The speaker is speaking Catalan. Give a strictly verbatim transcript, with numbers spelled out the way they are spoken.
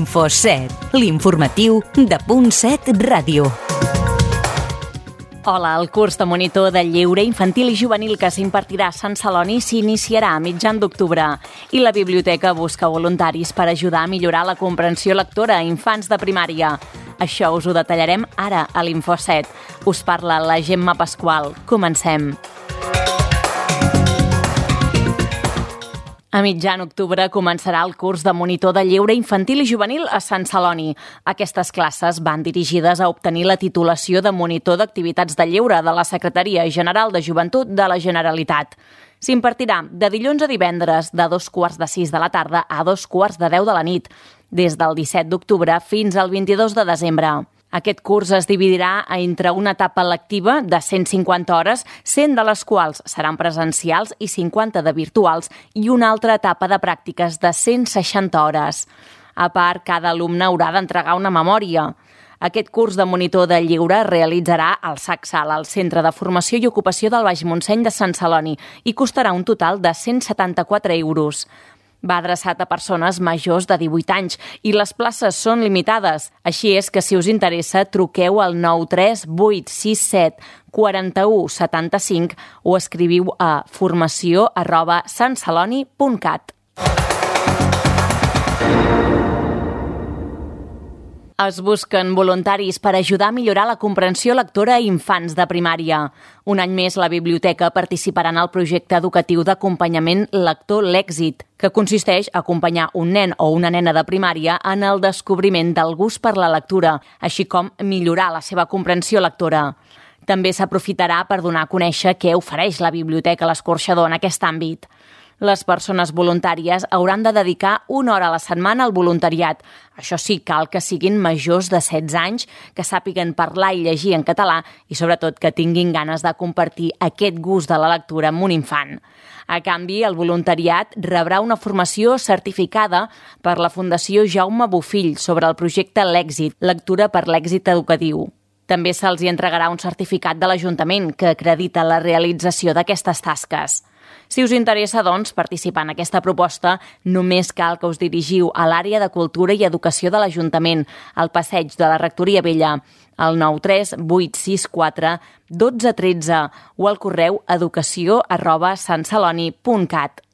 Info set, l'informatiu de Punt set Ràdio. Hola, el curs de monitor de lleure infantil i juvenil que s'impartirà a Sant Celoni s'iniciarà a mitjan d'octubre i la biblioteca busca voluntaris per ajudar a millorar la comprensió lectora a infants de primària. Això us ho detallarem ara a l'Info set. Us parla la Gemma Pasqual. Comencem. A mitjan octubre començarà el curs de monitor de lleure infantil i juvenil a Sant Celoni. Aquestes classes van dirigides a obtenir la titulació de monitor d'activitats de lleure de la Secretaria General de Joventut de la Generalitat. S'impartirà de dilluns a divendres de dos quarts de sis de la tarda a dos quarts de deu de la nit, des del disset d'octubre fins al vint-i-dos de desembre. Aquest curs es dividirà entre una etapa lectiva de cent cinquanta hores, cent de les quals seran presencials i cinquanta de virtuals, i una altra etapa de pràctiques de cent seixanta hores. A part, cada alumne haurà d'entregar una memòria. Aquest curs de monitor de lleure es realitzarà al SACSAL, al Centre de Formació i Ocupació del Baix Montseny de Sant Celoni, i costarà un total de cent setanta-quatre euros. Va adreçat a persones majors de divuit anys i les places són limitades. Així és que, si us interessa, truqueu al nou tres vuit sis set quatre u set cinc o escriviu a formació arroba santceloni punt cat. Es busquen voluntaris per ajudar a millorar la comprensió lectora a infants de primària. Un any més, la biblioteca participarà en el projecte educatiu d'acompanyament lector L'Èxit, que consisteix a acompanyar un nen o una nena de primària en el descobriment del gust per la lectura, així com millorar la seva comprensió lectora. També s'aprofitarà per donar a conèixer què ofereix la Biblioteca a l'Escorxador en aquest àmbit. Les persones voluntàries hauran de dedicar una hora a la setmana al voluntariat. Això sí, cal que siguin majors de setze anys, que sàpiguen parlar i llegir en català i, sobretot, que tinguin ganes de compartir aquest gust de la lectura amb un infant. A canvi, el voluntariat rebrà una formació certificada per la Fundació Jaume Bofill sobre el projecte L'Èxit, lectura per l'èxit educatiu. També se'ls hi entregarà un certificat de l'Ajuntament que acredita la realització d'aquestes tasques. Si us interessa, doncs, participar en aquesta proposta, només cal que us dirigiu a l'àrea de Cultura i Educació de l'Ajuntament, al passeig de la Rectoria Vella, al nou tres vuit sis quatre dotze tretze o al correu educació arroba santceloni punt cat.